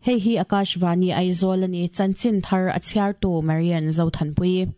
Hei hi Akashvani Aizawl a ni, chanchin thar a chhiartu Marian Zothanpui.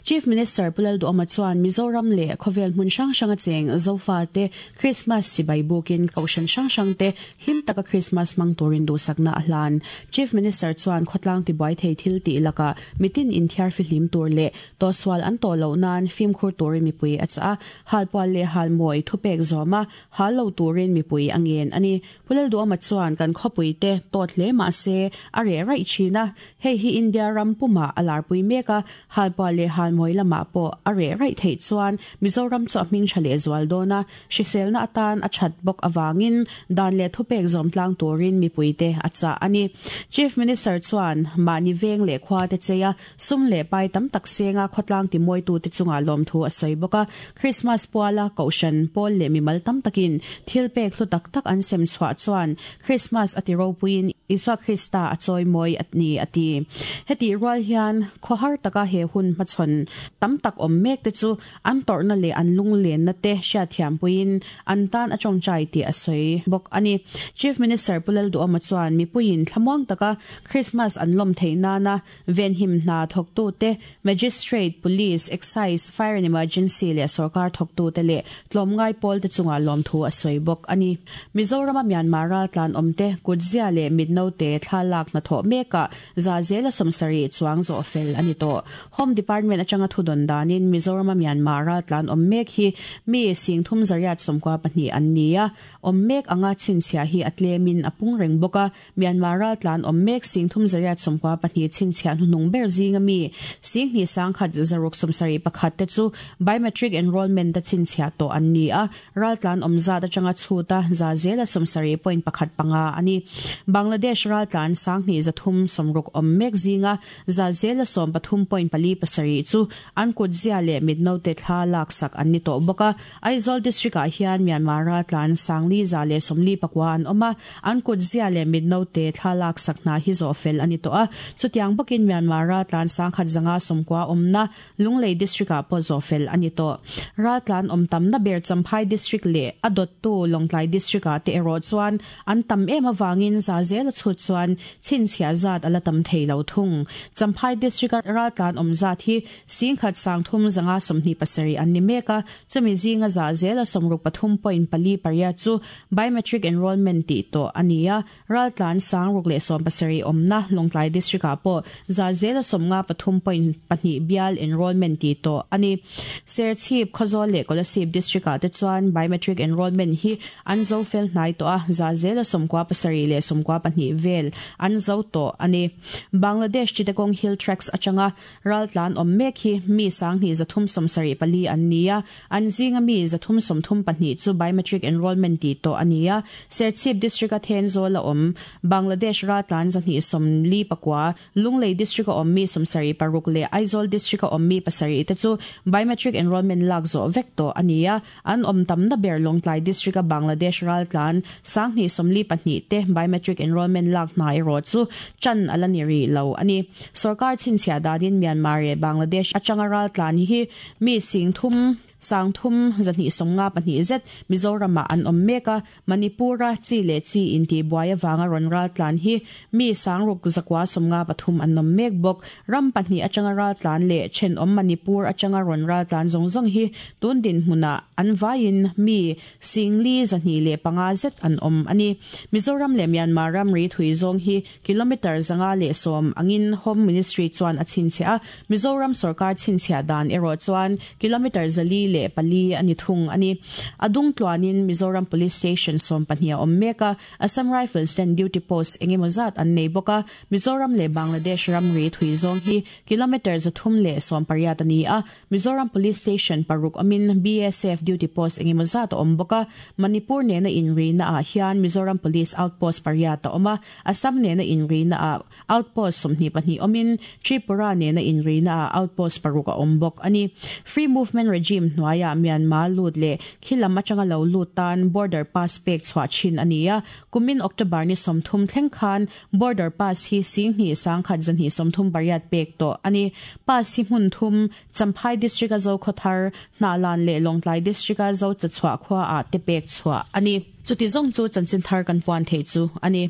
Chief Minister Pu Lalduhawma chuan Mizoram leh khawvel hmun hrang hranga cheng Zofate Krismas chibai bukin kohhran hrang hrangte hlim taka Krismas hmang turin duhsakna a hlan. Chief Minister chuan khawtlang tibuai thei thil tih lakah mitin inthiar fihlim tur leh tawhsual an tawh loh nan fimkhur turin mipui a chah a, halpual leh halmawi thupek zawma hal lo turin mipui a ngen a ni. Pu Lalduhawma chuan kan khawpui te tawt hle mah se a reh raih thin a, hei hi India ram pumah a larpui mek a, halpuah leh halmawi lamah pawh a reh raih theih chuan Mizoram chu a hming tha leh zual dawn a, hriselna atan a that bawk avangin dan leh thupek zawm tlang turin mipuite a chah a ni. Chief Minister chuan mahni veng leh khua te chei a, Sum leh pai tam tak senga khawtlang timawitute chungah lawmthu a sawi bawk a. Krismas puala Kohhran, pawl leh mimal tam takin thil pek hlu tak tak an sem chhuah chuan Krismas a ti ropuiin Isua Krista a chawi mawi a ni a ti. Hetih rual hian khawhar taka he hun hmachhawn tam tak awm mek te chu an tawrhna leh an lunglenna te hriatthiampuiin an tan a tawngtai tih a sawi bawk a ni. Chief Minister Pu Lalduhawma chuan mipuiin thlamuang taka Krismas an lawm theih nana Venhim hna thawktute, Magistrate, Police, Excise, Fire and Emergency leh sorkar thawktute leh tlawmngai pawlte chungah lawmthu a sawi bawk a ni. Mizorama Myanmar raltlan awmte kutzia leh mitnote thla lak hnathawh mekah za zela 70 chuang zawh fel a ni tawh. Home Department atanga thudawn danin Mizorama Myanmar raltlan awm mek hi mi 3892 an ni a, awm mek anga chhinchhiah hi a tlemin a pung reng bawk a. Myanmar raltlan awm mek 3892 chhinchhiah hnuhnung ber zinga mi 21,671 te chu biometric enrolment a chhinchhiah tawh an ni a, raltlan awm zat atanga chhuta za zela 70.15 a ni. Bangladesh raltlan 2360 awm mek zinga za zela 13.47 chu an kutzia leh mitnote thla laksak an ni tawh bawk a. Aizawl District-ah hian Myanmar raltlan 4149 an awm a, An kut zia leh mit note thla lak sak hna hi zawh fel a ni tawh a, chutiang bawkin Myanmar raltlan 1190 awmna Lunglei District-ah pawh zawh fel a ni tawh. Raltlan awm tamna ber Champhai District leh a dawttu Lawngtlai District-ah te erawh chuan an tam em avangin za zel a chhut chuan chhinchhiah zat a la tam thei lo thung. Champhai District-a raltlan awm zat hi 13,527 an ni mek a, chumi zinga za zela 63.48 chu Biometric enrollment tih tawh a ni a, raltlan 617 awmna Lawngtlai District-ah pawh za zela 53.2 bial enrollment tih tawh a ni. Serchhip, Khawzawl leh Kolasib District-ah te chuan biometric enrollment hi an zo fel hnai tawh a, za zela 97 leh 92 vel an zo tawh a ni. Bangladesh Chittagong Hill Tracts atanga Raltlan awm mek hi mi 2374 an ni a, an zinga mi 334 chu biometric enrolment tih tawh a ni a. Serchhip District-a Thenzawl a awm Bangladesh raltlan 249, Lunglei District-a awm mi 76 leh Aizawl District-a awm mi 7 te chu biometric enrolment lak zawh vek tawh a ni a. An awm tamna ber Lawngtlai District-a Bangladesh raltlan 22 te biometric enrolment lak hna erawh chu tan a la ni rih lo a ni. Sorkar chhinchhiah danin Myanmar leh Bangladesh atanga raltlan hi mi 3,000 3252 zet Mizoramah an awm mek a, Manipur-a chi leh chi intihbuai avanga rawn raltlan hi mi 6953 an awm mek bawk. Ram pahnih atanga raltlan leh thenawm Manipur atanga rawn raltlan zawng zawng hi tun dinhmunah an vaiin mi 4205 zet an awm a ni. Mizoram leh Myanmar ramri thui zawng hi Kilometre 110 angin Home Ministry chuan a chhinchhiah a, Mizoram sorkar chhinchhiah dan erawh chuan kilometre 404 a ni thung a ni. A dung tluanin Mizoram Police Station 12 a awm mek a, Assam Rifles ten duty post eng emaw zat an nei bawk a, Mizoram leh Bangladesh ramri thui zawng hi kilometre 318 a ni a, Mizoram Police Station paruk awmin BSF duty post engemaw zat a awm bawk a, Manipur nena inrina ah hian Mizoram Police outpost pariat a awm a, Assam nena inrina ah outpost 22 awmin Tripura nena inrina ah outpost paruk a awm bawk a ni. Free Movement Regime hnuaiah Myanmar lut leh khilam atanga lo lut tan border pass pek chhuah thin a ni a, kumin October ni 30 thleng khan Border Pass hi 21,138 pek tawh a ni. Pass hi hmun thum, Champhai District-a Zokhawthar, Hnahlan leh Lawngtlai District-a Zochachhuah khuaah te pek chhuah a ni. Chuti zawng chu chanchin thar kan puan theih chu a ni.